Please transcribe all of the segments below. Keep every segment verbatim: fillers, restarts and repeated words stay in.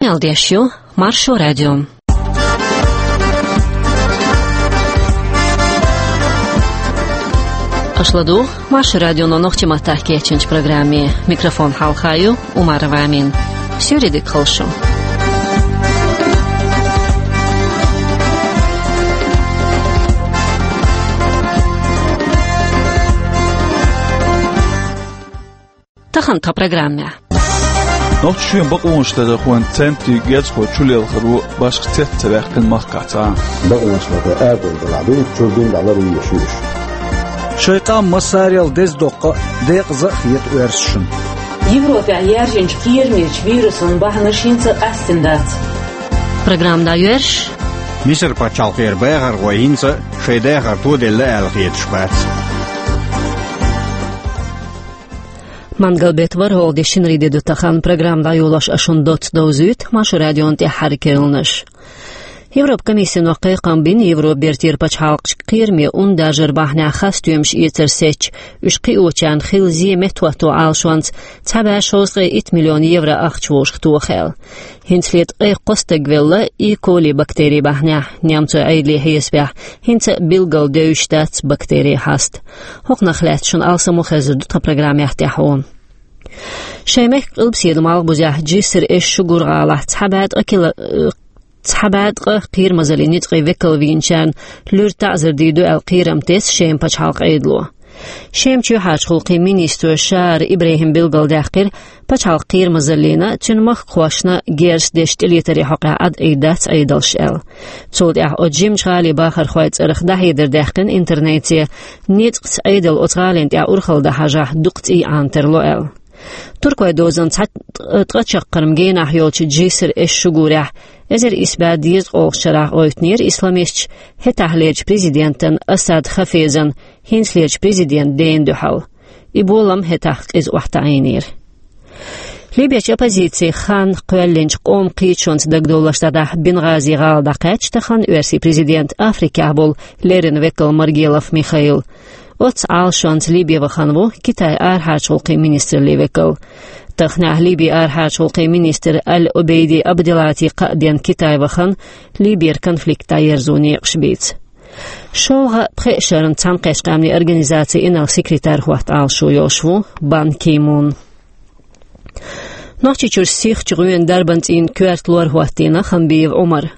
Къамел деш ю Маршо радио. Аша ладугӀу Маршо радионо нохчийн маттахь кечйинчу программе. Микрофон хьалха ю Умарова Амина. Суьйре дика хуьлда шун. Тахана тхан программехь. Нохчийчоьнан бакъонашларархойн центран герзахой чулелхаро башха цец ца ваьккхина махкахь цхьа а. Бакъонашларархой арадовла делахь дуьйна, чуьра дуьйна дӀалур ю еш ю уьш. Шайн къам массарел деза доккха а, декъаза а хета оьрсашна. Европехь яьржинчу кхерамечу вирусийн бахьанаш хӀинца а къаьстина дац. Программа дӀайоьрзуш. Мисар-пачхьалкхера бахархой хӀинца а шайн дахар тоделла аьлла хеташ бац. Мангал-беттан ворхӀалгӀа де, шинарин де ду тахана. Программа дӀайолош ас шуна доцца довзуьйту Маршо радион тӀаьххьара керланаш. Европан комиссино кхайкхам бина Европан Бертера пачхьалкхашка кхераме ун даржаран бахьанехь хасстоьмаш эцар сецча, уьш кхиочарна хилла зе меттахӀотто Ӏалашонца цхьа бӀе шовзткъе итт миллион евро ахча вовшахтоха аьлла. ХӀинцале ткъе кхо стаг велла Е. коли бактерин бахьанехь. Немцойн Ӏедалан хьесапехь, хӀинца а билггал девзаш дац бактерин хьаста. ХӀокхунах лаьцна шуна алсам а хезар ду тхан программехь тӀаьхьо. Шайн мехкан къилбаседа малхбузехь, Джиср эс-Шугур гӀалахь цхьа бӀе ткъа кила-, цхьа бӀе ткъа кхерамазаллин ницкъийн векал вийначарна луьра таӀзар дийр ду аьлла кхерам тесна Шеман пачхьалкхан Ӏедало. Шеман чоьхьарчу гӀуллакхийн министро Шаар Ибрахьима билгалдаьккхира, пачхьалкхан кхерамазаллина, цуьнан махкахошна герз деш тӀелетаре хьокъехь Ӏад Ӏийр дац Ӏедалш аьлла. Цул тӀаьхьа оцу жимачу гӀалин бахархойн цӀарах дӀахьедар даьккхина интернете, ницкъаца Ӏедал оцу гӀалина тӀехь урхалла дан хьажахь, дукха цӀий Ӏанатарло аьлла. Туркойн дозанна цхьа ткъа чаккхарма генахь йолчу Джиср эс-Шугурехь эзар исс бӀе дезткъа олучу шарахь гӀевттинера исламисташ хӀетахьлерчу президентан Асад Хафезан хӀинцалерчу президентан дена дуьхьал. И болам хӀетахь къиза охьатаӀийнера. Либерчу оппозицин хан кхоьллинчу къоман кхеташонца дагадовларш дӀадахьа Бенгазин гӀала дӀакхаьчча, тахана оьрсийн президент Африкехь болу леррина векал Маргелов Михаил. Оццу Ӏалашонца Либе вахана ву Китайн арахьарчу гӀуллакхийн министраллин векал. Таханехь Либин арахьарчу гӀуллакхийн министр Аль-Обейди Абделати кхаа денна Китае вахана, Либера конфликт дӀаерзо некъаш бийца. ШолгӀа а, пхеа а шарна Цхьаьнакхеттачу Къаьмнийн Организацин инарла секретарь хӀотта Ӏалашо йолуш ву Бан Ки Мун. Нохчийчуьра сихачу гӀоьнан дарбан цӀийнан коьрта лор хӀоттийна Хамбиев Ӏумара.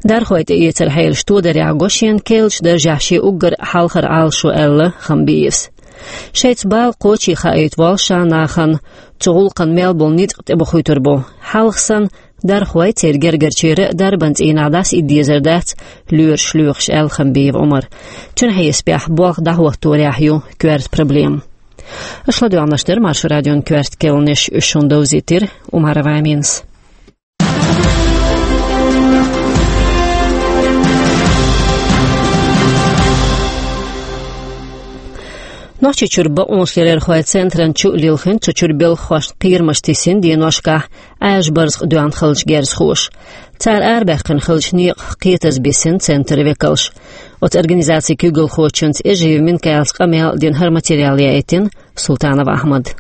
Дархой тӀеэцаран хьелаш тодарехь го шена керлачу даржехь шен уггар хьалхара Ӏалашо аьлла Хамбиевс. Шайца бала кхочий хаийта воллу ша нахана цу гӀуллакхна мел болу ницкъ тӀебохуьйтур бу. Хьалха санна, дархой, церан гергарчеран а дарбан цӀийнахь дӀасаидда дезар дац лоьраш лоьхуш аьлла Хамбиев Ӏумара. Цуьнан хьесапехь, болх дӀахӀотторехь ю коьрта проблема. Аша ладоьгӀнарш дара Маршо радион коьрта керланаш, уьш шуна довзийтира Умарова Аминас. Нохчийчуьра бакъонашларархойн центран чу а лилхина, цу чуьра белхахошна кхерамаш тесна деношкахь Ӏаьржа барзакъ доьгӀна хиллачу герзахоша. Цара арабаьккхина хиллачу некъах кхетаза бисина центран векалш. Оцу организацин куьйгалхочуьнца Эжиев Минкаилс къамел а дина, хӀара материал яийтина Султанов Ахьмада.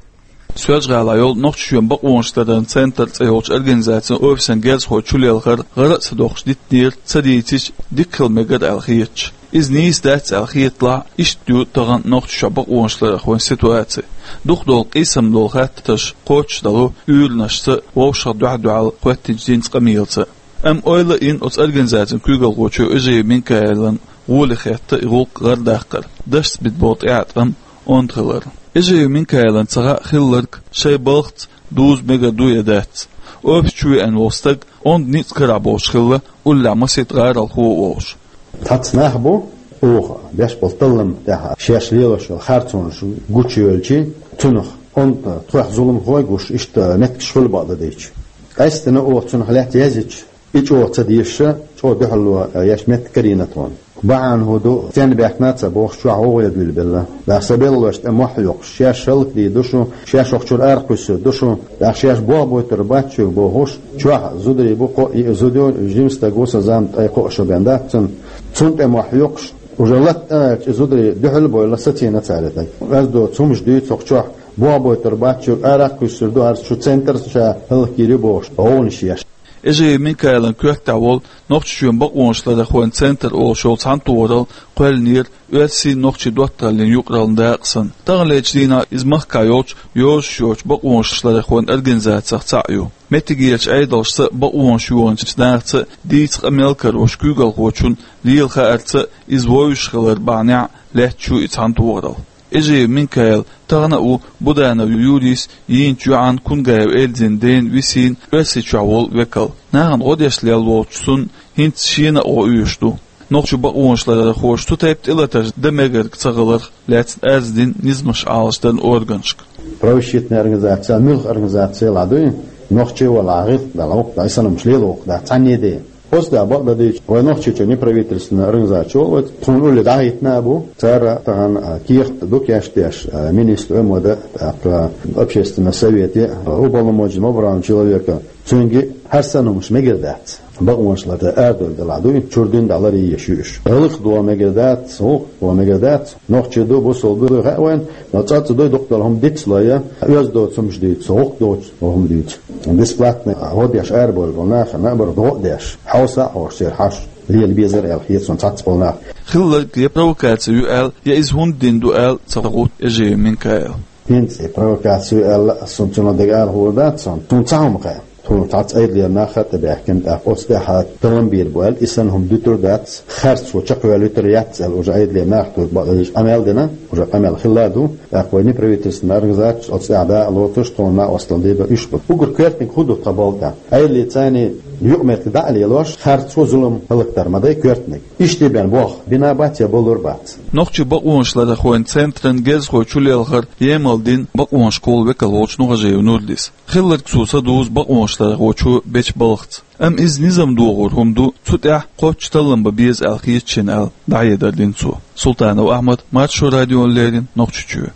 Соьлжа-ГӀалахь йолу Нохчийчоьнан бакъонашлараран центр цӀе йолчу организацин офисан герзахой чулелхар гӀара а ца доккхуш диттинера, ца дийцича, дика хила мегар аьлла хеташ. Иза нийса дац аьлла хеталахь а, иштта ю тахана Нохчийчохь бакъонашларархойн ситуаци. Дукха долу къийсам долу хаттарш кхочушдало уьйранашца а, вовшах дуьхь-дуьхьал хӀоьттинчу динца къамелаца а. Амма ойла а йина оцу организацин куьйгалхочо Эжиев Минкаилан гӀоле хетта и гӀуллакх гӀардаккхар, дашца бина болу тӀеӀаткъам онда хилар. Эжиев Минкаилна ца хаьа хилларг шайн балхаца дуза мегар ду я дац. Офис чу веана волу стаг онда ницкъ карахь болуш хилла, уллехь масийтта гӀаролхо а волуш. Цхьацца нах бу, оха беш болу таллам тӀехь шаьш лелош йолу харцонаш гучуйоьлчи, цунах онда тхох зуламхой гуш, иштта меттигаш хуьлу бакъдерг дийцича. Къаьсттина оха цунах лаьтта язйича, и чӀогӀа ца дезаш, чӀогӀа дуьхьало еш меттиг карийна тхуна. Бахьана хӀун ду, стенна баьхкина а ца бохуш, чохь гӀовгӀа дуьйлабелла. Баьхса беллалошна тӀе мохь а йоккхуш, шаьш хӀаллакдийр ду шу, шаьш хӀокху чуьра арахкхуьссур ду шу, тӀаккха шаьш болх бойтур бац шуьга бохуш, чохь зударий бу, кхоъ-йиъ зуда ю, жима стаг ву, сан зама ткъе кхоъ шо бен дац цуьнан. Цунна тӀе мохь йоккхуш, уже латта тӀе а ваьлча, и зударий дуьхьал а бевлла, сацийна цара и стаг. Ас доцу хӀумаш дуьйцу хӀокху чохь, болх бойтур бац шуьга, арахкхуьссур ду, хӀара шу центр ша хӀаллакйийр ю бохуш, гӀовгӀанаш еш. Эжиев Минкаилан коьртехь волу Нохчийчоьнан бакъонашларъярхойн центр олуш йолу цхьаьнатохаралла кхоьллинера оьрсийн-нохчийн доттагӀаллин юкъараллин дакъа санна. Таханлерчу дийнахь иза махкахь йолчу йозуш йоцчу бакъонашларъярхойн организацех цхьаъ ю. Меттигерчу Ӏедалшца а, бакъонаш йохийначу нахаца а дийца къамел карош куьйгалхочунна лела хаарца а, иза вовшах хилар бахьанехь лаьтташ ю и цхьаьнатохаралла. Эжиев Минкаил тахана а ву Буданов Юрийс йийначу йоӀан Кунгаев Эльзин ден висина Оьрсийчохь волу векал. Нахана гӀо деш лелла волчу цунна хӀинца шена а гӀо оьшуш ду. Нохчийн бакъонашларъярхоша цу тайпа тӀелатарш дан мегар ца хиларх лаьцна арз дина низамаш Ӏалашдаран органашка. Правозащитная организация, муьлха организация ладуй, нохчий вала гӀиртта дала воккха, и санна лела воккха дац, цхьанне а де. Оцу тӀехь бакъ дан дийцича, вай Нохчийчоьнан неправительственная организация вай, тхуна улле дӀахӀиттина а бу, цара тахана, а, кехат ду кечдеш, а, министра Ӏамада, тӀаккха общественный совете, а, уполномоченного по правам человека, цуьнга хӀара санна хӀумнаш мегар дац. Бакъонашларъяр арадовла делахь дуй, чуьра дин дӀаларе еш ю уьш. ГӀиллакх догӀу мегар дац, гӀуллакх догӀу мегар дац, нохчий ду, бусалба ду, хаьа вайна, но цӀа а ца дуй, дукха долу хӀума диц а лой, оьзда доцу хӀумнаш дуьйцу, гӀуллакх доцу хӀума дуьйцу. Бесплатный гӀо деш арабевлла болу нахана а бара догӀа а деш, хьовса а хьовсуш церан хьашт лела безара аьлла хета суна цхьацца болу нах. Хилларг я провокаци ю аьлла, я иза хӀунда дина ду аьлла ца гутту Эжиев Минкаила. ХӀинца и провокаци ю аьлла, ас суна цунах дага ала хуур дац суна. Суна цхьа хӀума хаьа. Тхуна цхьацца Ӏедалера нах а тӀебаьхкина, тӀаккха оцу тӀехь таллам бийр бу аьлла, и санна хӀума дуьтур дац, харц цо чекхваьлла вуьтур яц аьлла, уже Ӏедалера нах а тоьхна бакъдерг къамел дина, уже къамел хилла а ду, тӀаккха вай неправительственная организация оцу тӀехь дакъа лоцуш, тхуна накъосталла дийр ду, уьш бу. Уггар коьртаниг хӀун ду тхан балда? Ӏедале царний юкъаметтиг дӀа а лелош, харц цо зулам хӀаллакдар ма дай коьртаниг. Иштта бен боху, бина бац я болур бац. Нохчийн бакъонашларъярхойн центран герзахой чулелхар емал дина бакъонашкахула векал волчу Нухажиев Нурдис. Хилларг цо ца дузу бакъонашларъярхочо бечу балхаца. Амма иза низам дохор хӀума ду, цу тӀехь кхоччуш таллам бан беза аьлла хета шена аьлла, дӀахьедар дина цо. Султанов Ахьмад, Маршо радиона леррина, Нохчийчоь.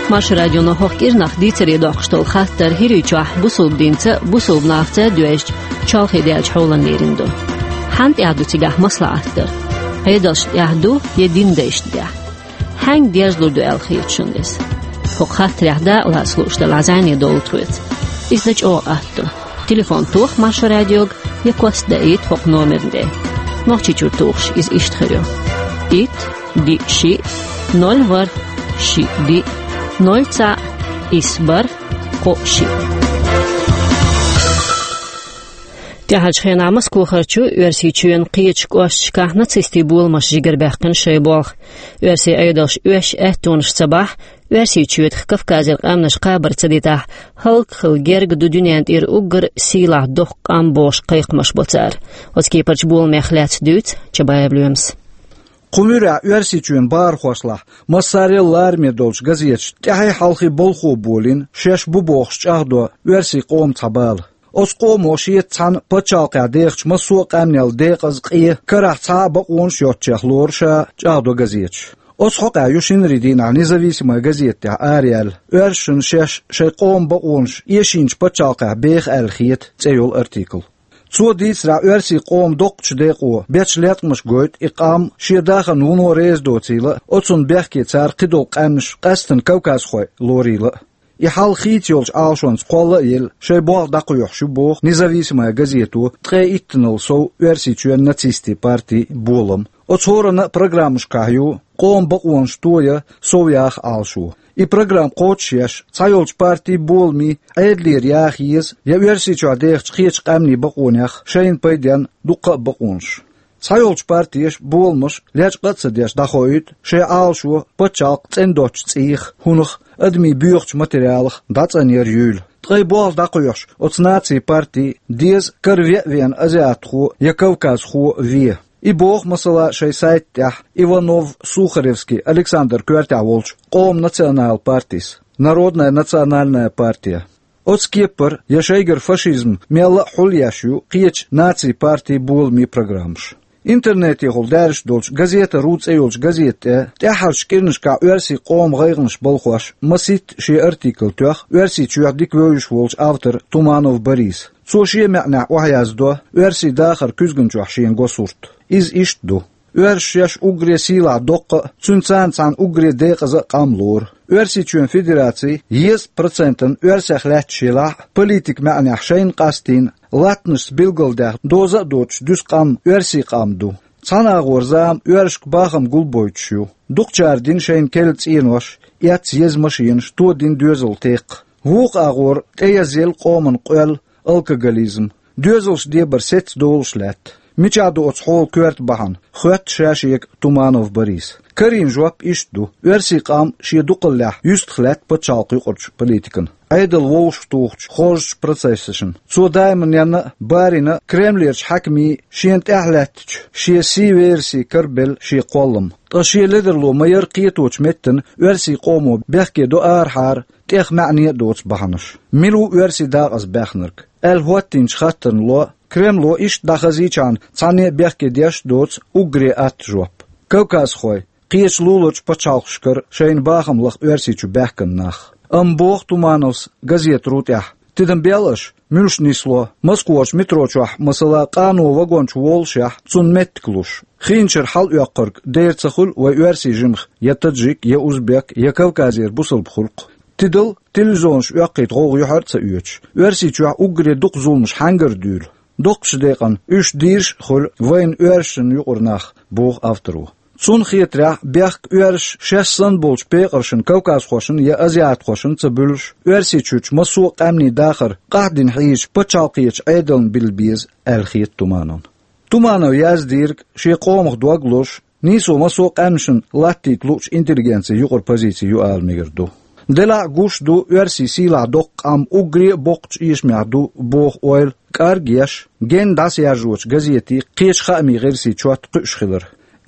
Маршо радионо хӀокху кӀирнах дийцаре доккхуш долу хаттар ХӀирийчохь бусалба динца а, бусалба нахаца а доьжначу чолхе даьллачу хьолан лерина ду. Хьанна тӀехь ду цигахь маслаӀат дар? Ӏедалшна тӀехь ду я динан дайшна тӀехь? Хьаьнга дежлур ду аьлла хета шуна иза? ХӀокху хаттарехь дакъа лаца лууш делахь, зӀене довла тхоьца. Иза дан чӀогӀа атта ду. Телефон тоха Маршо радиога я кост даийта хӀокху номерна тӀе. Нохчийчуьра тухуш иза иштта хир ю: итт, диъ, шиъ, ноль, ворхӀ, шиъ, диъ, ноль, цхьаъ, исс, бархӀ, кхоъ, шиъ. ТӀаьхьарчу хенахь Москохарчу Оьрсийчоьнан кхечу кӀошташкахь нацистийн боламаша жигара баьккхина шайн болх. Оьрсийн Ӏедалша оьшуш аьттонаш ца бахь, Оьрсийчоьтах Кавказера къаьмнаш кхабар ца дитахь, хӀаллак хила герга ду дуьненна тӀера уггар сийлахь доккха къам бохуш кхайкхамаш бо цара. Оцу кепарчу боламех лаьцна дуьйцу Чабаев Лоьмас. Кху муьрехь Оьрсийчоьнан бахархошлахь массарел лараме долчу газеташна тӀаьхье-хьалхе балхо болийна, шаьш бу бохуш чӀагӀдо оьрсийн къоман цхьа бала. Оцу къомо шеца цхьаьна пачхьалкхехь дехачу массо а къаьмнел декъаза, къе, карахь цхьа а бакъонаш йоццучех лору ша, чӀагӀдо газеташ. Оцу хьокъехь ю шинарийн дийнахь «Независимая газета» тӀехь араяьлла, оьрсашна шаьш шайн къоман бакъонаш эшийначу пачхьалкхехь беха аьлла хета цӀе йолу артикл. Цо дийцарехь, оьрсийн къоман доккхачу декъо бечу леткъамаша гойту и къам шен дахарна вуно реза доцийла а, оцунна бехке цара кхидолу къаьмнаш, къаьсттина кавказхой, лорийла а. И хьал хийца йолчу Ӏалашонца кхолла а елла, шайн болх дӀакхоьхьуш ю боху «Независимая газето» ткъе иттанал сов Оьрсийчоьнан нацистийн партин болам. Оцу хӀоранна а программашкахь ю къоман бакъонаш тоя, сов яха Ӏалашо. И программа кхочушъеш, цхьайолчу партин боламийн, Ӏедалера яха еза я Оьрсийчохь дехачу кхечу къаьмнийн бакъонех шайна пайденна дуккха а бакъонаш. Цхьайолчу партеша, боламаша лечкъа а ца деш дӀахоуьйту шайн Ӏалашо пачхьалкх цӀена доцучу цӀийх, хӀунах, адамийн боьхачу материалах дӀацӀанъяр юйла. Ткъе болх дӀакхоьхьуш, оцу нацийн партин деза кара веа веана азиатхо я кавказхо ве. И боху, масала, шайн сайта тӀехь Иванов-Сухаревский Александр коьртехь волчу Къоман национал партис, Народная национальная партия. Оцу кепара я шайгара фашизм мелла а хьулъеш ю кхечу нацийн партийн боламийн программаш. Интернетехула даьржаш долчу «Газета ру» цӀе йолчу газета тӀе тӀаьххьарчу кӀирнашкахь оьрсийн къоман гӀайгӀанаш балхош масийтта шен артикл тоьхна Оьрсийчоьхь дика вевзаш волчу автора Туманов Бориса. Цо шен маьӀнехь охьаяздо оьрсийн дахар куьзганчохь шен го сурт. Иза иштта ду: Оьрсаша шоаш уггаре сийлахь доккха а, цуьнца цхьана уггаре декъаза а къам лору. Оьрсийчоьнан Федераци еза процентана оьрсех лаьтташ елахь а, политикан маьӀнехь шайна къастийна, латтанашца билгалдаьхна, доза а доцуш дуьсу къам оьрсийн къам ду. Цхьана агӀор зама оьрсашка бахам гулбойтуш ю. Дукхачара дина шайна керла цӀенош, эцна еза машенаш, тодина доьзал, текхна. Вукху агӀор тӀеязъелла къоман къоьлла, алкоголизм, доьзалш дебар сецна долуш лаьтта. Мичахь ду оцу хьолан коьрта бахьана, хоьтту ша шега Туманов Бориса. Карийна жоп иштта ду: оьрсийн къам шен дукхаллехь юьстах лаьтта пачхьалкхан юкъарчу политикана, Ӏедал вовшахтухучу хоржучу процессашна. Цо даиманна а, барина а Кремлерчу хьаькамийн шена тӀаьхьалаьттачу шен сий верасе карабелла шен кхоллам. Ткъа шен ледарло ма-ярра кхеточу меттана оьрсийн къомо бехке до арахьара, тӀех маьӀне а доцу бахьанаш. Мила ву оьрсийн дакъаза баьхнарг аьлла хӀоттийначу хаттарна ло, Кремло иштта дӀахазийчхьана цхьанне а бехке деш а доцу уггаре атта жоп. Кавказхой, кхечу луларчу пачхьалкхашкара шайна бахам лаха Оьрсийчу баьхкина нах. Амма боху Тумановс газета ру тӀехь: тидам бел аша, муьлш нисло, Москварчу метро чохь, масала, къано вагон чу воллушехь, цунна меттиг луш. Хиначуьра хьалаоьккхург дера ца хуьлу вайн оьрсийн жимах я таджик, я узбек, я Кавказера бусалба хуьлу-кх. Тидал телевизионаш оьккхийта гӀовгӀа юьхьар а ца оьцуш, Оьрсийчохь уггаре дукха зуламаш хьаьнгара дуьйлу? Доккхачу декъана уьш дийраш а хуьлу вайна оьрсашна юкъара нах, боху авторо. Цунна хетарехь, бехк оьрсаша шаьш санна болчу пекъаршна, кавказхошна я азиатхошна ца буьллуш, Оьрсийчуьрчу массо а къаьмнийн дахар къахьдина хьийзачу пачхьалкхерчу Ӏедална билла беза аьлла хета Тумановна. Туманов яздийриг шен къомах дог лозуш, нийсо массо а къаьмнашна латтийта луучу интеллигенцин юкъара позици ю ала мегар ду. Делахь а гуш ду оьрсийн сийлахь доккха къам уггаре а боккхачу эшамехь ду боху ойла кӀаргъеш, генна дӀасаяржочу газетийн, кхечу хаамийн гӀирсийн чот кхуьуш хилар.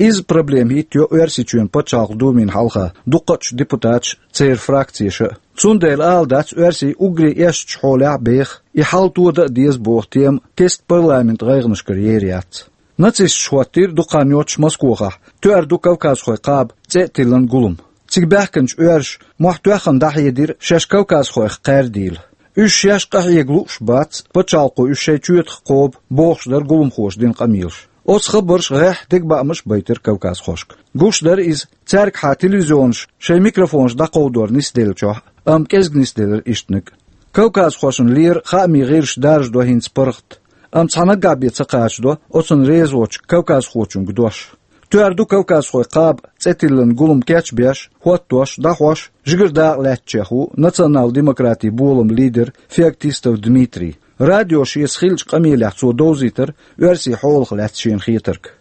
Изза проблема хӀиттайо Оьрсийчоьнан Пачхьалкхан Думин хьалха дуккхачу депутаташа, церан фракцеша а. Цундела ала дац оьрсий уггаре эшначу хьолехь а беха, и хьал тода а деза боху тема кеста парламентан гӀайгӀанашкара ер яц. Нацисташа хӀоттийра дукха хан йоццуш Москохахь «Тоьар ду кавказхой» кхаба цӀе а тиллина гулам. Цига баьхкинчу оьрсаша мохь тоьхна дӀахьедира шаьш кавказхойх кхаьрдийла. Уьш шаьш къахьега лууш бац, пачхьалкхо уьш шайн чоьтах кхоба, бохуш дара гуламхоша дина къамелаш. Оцу хабарша гӀеххьа дегабаамаш а байтира кавказхошка. Гуш дара иза, цаьргахьа телевизионаш шайн микрофонаш дӀакховдор нисделлачохь а, амма кӀезиг нисделира ишттаниг а. Кавказхошна лера хаамийн гӀирсаша даржадо хӀинца паргӀат, амма цхьа наггахь бен ца кхачадо оцунна реза воцчу кавказхочуьнга дош. «Тоьар ду кавказхой» кхаба цӀе тиллина гулам кечбеш, хӀоттош, дӀахьош, жигара дакъа лаьцначех ву национал-демократийн болам лидер Феоктистов Дмитрий. Радио шеца хиллачу къамелехь цо довзийтира оьрсийн хьолах лаьцна шена хетарг.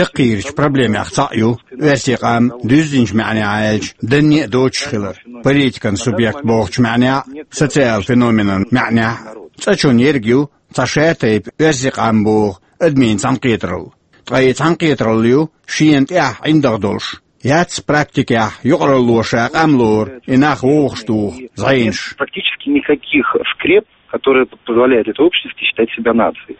Яккхийрачу проблемех цхьаъ ю оьрсийн къам, дуьззинчу маьӀнехь аьлча, данне а доцуш хилар. Политикан субъект бохучу маьӀнехь а, социал феноменан маьӀнехь а. ЦӀа чунна ерг ю цхьа шатайпа оьрсийн къам боху адамийн цхьаьнакхетаралла. Ткъа и цхьаьнакхетаралла ю шена тӀехь ӀиндагӀа долуш. Яц практикехь юкъаралло ша къам лору, и нах вовшахтуху зӀенаш. Практически никаких скреп, которые позволяют этой общности считать себя нацией.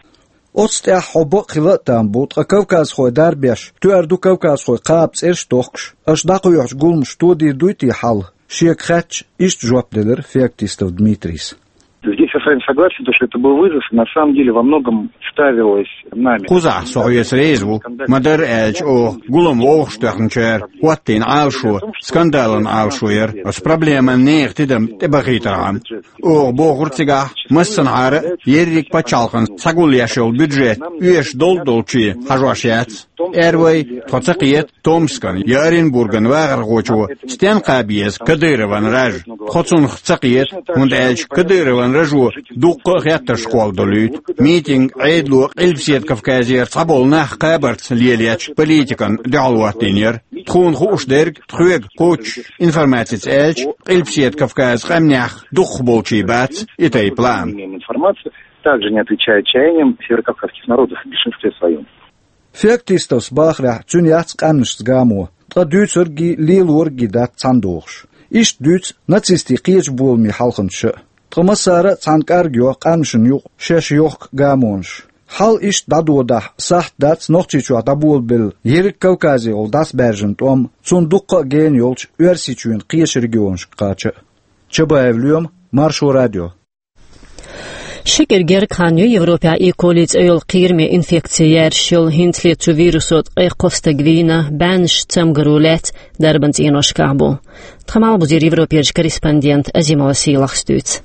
Оцу тӀехь хьо бакъ хила а там бу, ткъа кавказхой дарбеш, «Тоьар ду кавказхой» кхаба цӀераш а тохкуш, аша дӀакхоьхьучу гуламаша тодийр дуй те хьал? Шега хаьттича, иштта жоп делира Феоктистов Дмитрийс. Здесь я с вами согласен, то, что это был вызов, и на самом деле во многом ставилось нами. Кхузахь со хьоьца реза ву. Ма-дарра аьлча, оха гулам вовшахтоьхначара хӀоттийна Ӏалашо скандалан Ӏалашо яра, оцу проблеман нехан тидам тӀебахийтархьама. Оха бохура цигахь, массанхьара а ерриг пачхьалкхана схьагулъеш йолу бюджет оьшуш долу-долчу хьажош яц. Эр вай, тхо ца кхета Томскан я Оренбурган вахархочо стенна кхаба еза Кадырован раж. Тхо цунах ца кхета, хӀунда аьлча Кадырован ражо дуккха а хеттарш кхолладолуьйту. Митинг Ӏедало Къилбаседа Кавказера цхьаболу нах кхабарца лелаечу политикана дуьхьал хӀоттийна яра. Тхуна хууш дерг тхоьга кхоччуш информацица аьлча, Къилбаседа Кавказан къаьмнех дукхахболчий бац и тайпа лаам. Информация также не отвечает чаяниям северокавказских народов в большинстве своём. Феоктистовс бахарехь, цуьнан яц къаьмнашца гамо, ткъа дуьйцурггий, лелорггий дац цхьаьна догӀуш. Иштта дуьйцу нацистийн кхечу боламийн хьалханчаша а. Ткъа массара а цхьаьна кӀаргйо къаьмнашна юкъа шаьш йохку гамонаш. Хьал иштта дӀадодахь, сахьт дац Нохчийчохь дӀаболабелла ерриг Кавказехула дӀасабаьржина тӀом, цунна дуккха а гена йолчу Оьрсийчоьнан кхечу регионашка кхача а. Чабаев Лоьма, Маршо радио. Ши кӀира гергга хан ю Европехь Э. коли цӀе йолу кхераме инфекци яржаш йолу. ХӀинцале цу вирусо ткъе кхо стаг вийна, бӀеннаш цамгаро лаьцна дарбан цӀеношкахь бу. Тхан Малхбузера Европерчу корреспондента Азимова Сийлахьас дуьйцу.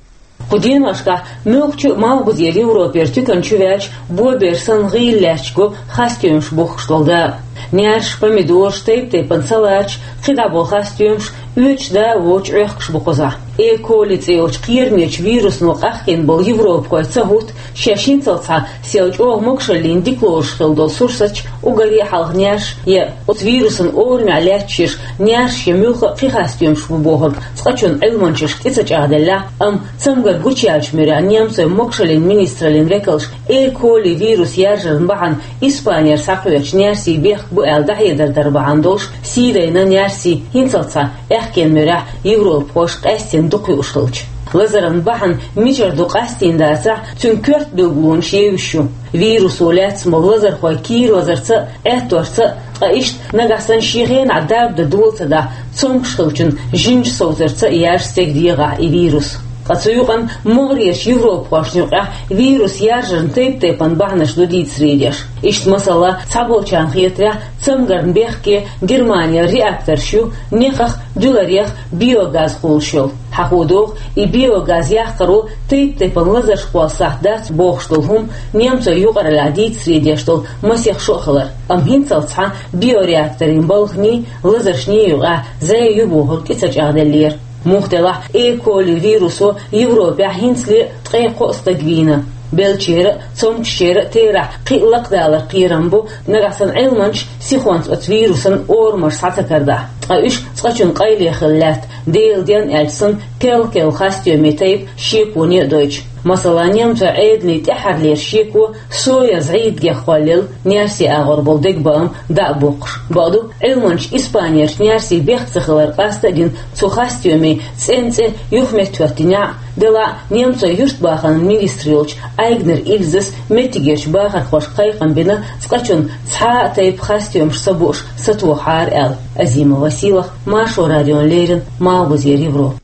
Кху деношкахь муьлххачу а Малхбузера Европера туькан чу ваьлча, бобер санна гӀийла лаьтташ го хастамаш бухкуш долу да. Наьрсаш, помидораш, тайп-тайпана салаташ, кхидӀа болу хастамаш оьцуш да а воцуш Ӏохкуш бу кхузахь. Э. коли цӀе йолчу кхерамечу вирусно къахкийна болу европахой ца хӀутту, шаьш хӀинццалц схьа сел чӀогӀа могушаллин дика лоруш хилла долу сурсаташ, уггаре а хьалха наьрсаш я оцу вирусан орамехь лаьтташ йолу наьрсаш я муьлхха а кхин хастамаш бу бохург цкъачунна Ӏилманчашка тӀе ца чӀагӀделлехь, амма цамгар гучуяьллачу муьрехь немцойн могушаллин министраллин векалша Э. коли вирус яржаран бахьана Испанера схьакхоьхьучу наьрсийн бехк бу аьлла дӀахьедар дар бахьана долуш, сий дайна наьрсий хӀинццалц схьа аьхкенан муьрехь европахоша къаьстина дукха юуш хилча. Лазаран бахьана мичара ду къастийна дацахь, цуьнан коьрта билгалонаш евзаш ю. Вирусо лаьцна болу лазархой кийра лазарца а, Ӏетторца а, ткъа иштта нагахь санна шен хенахь дарба дан дола ца дахь, цомгуш хиллачун жимчу совцарца а яржа стеган дегӀахь и вирус. Ткъа цу юкъанна могӀарерчу европахошна юкъахь вирус яржаран тайп-тайпана бахьанаш ду дийцаре деш. Иштта, масала, цхьаболчарна хетарехь, цамгарна бехке Германера реакторш ю, некхах, дуьларех биогаз хуьлуш йолу. Хьахо догӀу, и биогаз яккхаро тайп-тайпана лазарш кхолла сахьт дац бохуш долу хӀума немцойн юкъараллехь дийцаре деш долу масех шо а хилар. Амма хӀинццалц схьа биореакторийн балханийн, лазаршний юкъахь зӀе ю бохург тӀе ца чӀагӀделлера. Муха делахь, Э. коли вирусо Европехь хӀинцале а ткъе кхо стаг вийна. Беллачеран а, цомгушчеран а терахь кхин а лакхадалар кхерам бу, нагахь санна Ӏилманчаш сихонца оцу вирусан орамаш схьа ца карадахь. Ткъа уьш цкъачунна къайле хилла лаьтта, Делан денна аьлча санна, керла-керла хастамийн тайпа шеконе а дойтуш. Масала, немцойн Ӏедалан тӀаьххьарлера шеко соя зӀийдигех кхоллаелла, наьрсийн агӀор болу дегабаам дӀа а боккхуш. Бакъду, Ӏилманчаша Испанерчу наьрсийн бехк ца хилар къаста а гина, цу хастамийн цӀенна цӀе юхаметтахӀоьттинехь а, делахь а немцойн юьртбахаран министр йолчу Айгнер Ильзас меттигерчу бахархошка кхайкхам бина цкъачунна цхьа а тайпа хастамаш ца бууш сатохахьара аьлла. Азимова Сийлахь, Маршо радиона леррина, Малхбузера Европа.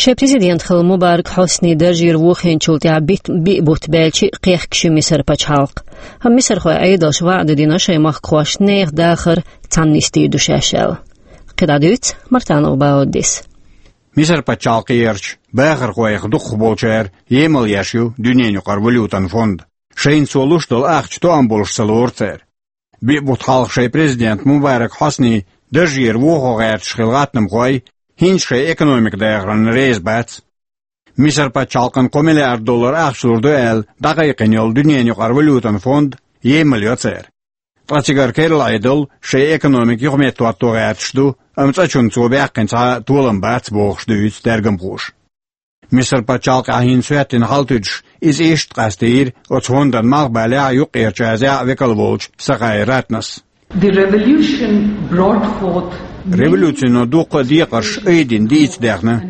Шайн президент хилла Мубарак Хьосни даржера вохийначул тӀаьхьа бит-, биъ бутт баьлча а кхехкаш ю Мисар пачхьалкх. Амма мисархойн Ӏедалша ваӀда дина шайн махкахошна нехан дахар цхьаьна нисдийр ду шаьш аьлла. КхидӀа дуьйцу Мартанов Бауддис. Мисар пачхьалкхерчу бахархойх дукхахболчара емал еш ю дуьненаюкъара валютан фонд. Шайна цо луш долу ахча тоам болуш ца лору цара. Биъ бутт хьалха шайн президент Мубарак Хьосни даржера вохо гӀерташ хилла гӀаттамхой хӀинца шайн экономика дахарна реза бац. Мисар пачхьалкхана кхо миллиард доллар ахча лур ду аьлла дӀакхайкхина йолу дуьненаюкъара валютан фонд емал йо цара. Ткъа цигара керла Ӏедал шайн экономика юхаметтахӀотто гӀерташ ду, амма цкъачунна цо баьккхина цхьа а толам бац бохуш дуьйцу тергамхоша. Мисар пачхьалкхехь хӀинца хӀоьттина хьал туьдуш, иза иштта къастийра оцу фондан малхбалехь а, Юккъерчу Азехь а векал волчу Сахаи Ратнас. The revolution brought forth Революцино дуккха а декхарш айдина дийца даьхна.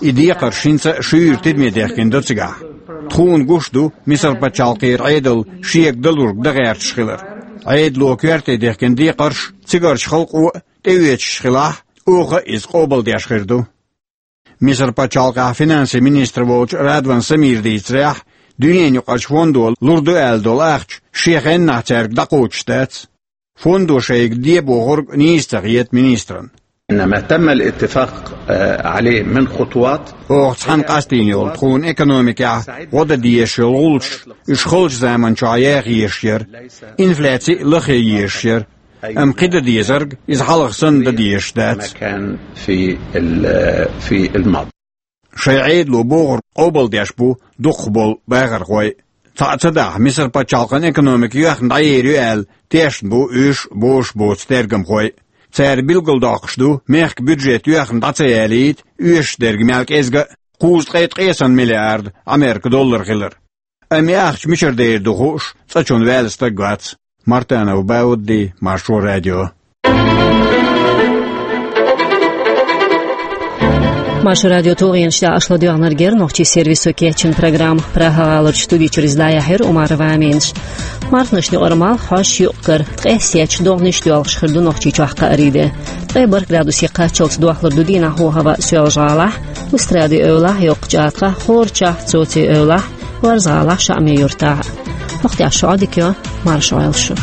И декхарш хӀинца а шуьйра тидаме дехкина ду цигахь. Тхуна гуш ду Мисар пачхьалкхера Ӏедал шега далург дан гӀерташ хилар. Ӏедало коьрте дехкина декхарш цигарчу халкъо а тӀеоьцуш хилахь, оха а иза къобалдеш хир ду. Мисар пачхьалкхехь финансийн министр волчу Радван Самира дийцарехь, дуьненаюкъарчу фондо лур ду аьлла долу ахча шен хеннахь цаьрга дӀакхочуш дац. Фондо шайга де бохург нийса ца хета министран. إنما تم الاتفاق، آه، عليه من خطوات. Оха цхьаьна къастийна йолу тхуна экономикехь гӀо дан дезаш йолу гӀулчаш, уьш халчу заманчохь яха езаш яра, инфляци а лахъе езаш яра. Амма кхин дан дезарг иза хьалха санна дан дезаш дац. كما كان في ال-، في الماضي. Шайн Ӏедало бохург къобалдеш бу дукхахболу бахархой. Цхьаъ ца дахь, Мисар пачхьалкхан экономика йоьхна дӀаер ю аьлла, тешна бу уьш, бозуш боцу тергамхой. Цара билгалдоккхуш ду, мехкан бюджет йоьхна дӀа ца ялийта, оьшуш дерг мел кӀезга а, кхузткъе ткъе сан миллиард Ӏамеркан доллар хилар. Амма и ахча мичара дер ду хууш, цкъачунна ваьлла стаг вац. Мартанов Баудди, Маршо радио. Маршо радио тулгӀенаш тӀехь аша ладоьгӀнарг яра нохчийн сервисо кечйина программа. Прага-гӀаларчу студи чуьра иза дӀаяьхьира Умарова Аминас. Марханашна юкъара малх хьош юкъ-кара, ткъе сецча догӀанаш доьлхуш хир ду Нохчийчохь кхаарин де. Ткъе бархӀ градусе кхаччалц дохлур ду дийнахь хӀаваъ Соьлжа-ГӀалахь, Устрадин эвлахь, Йоккхачу АтагӀахь, ХӀорачохь, Цоцин эвлахь, Варзгъалахь, Шаъми-Юртахь. Вахтехь шо Ӏодика йо, марша Ӏойла шу.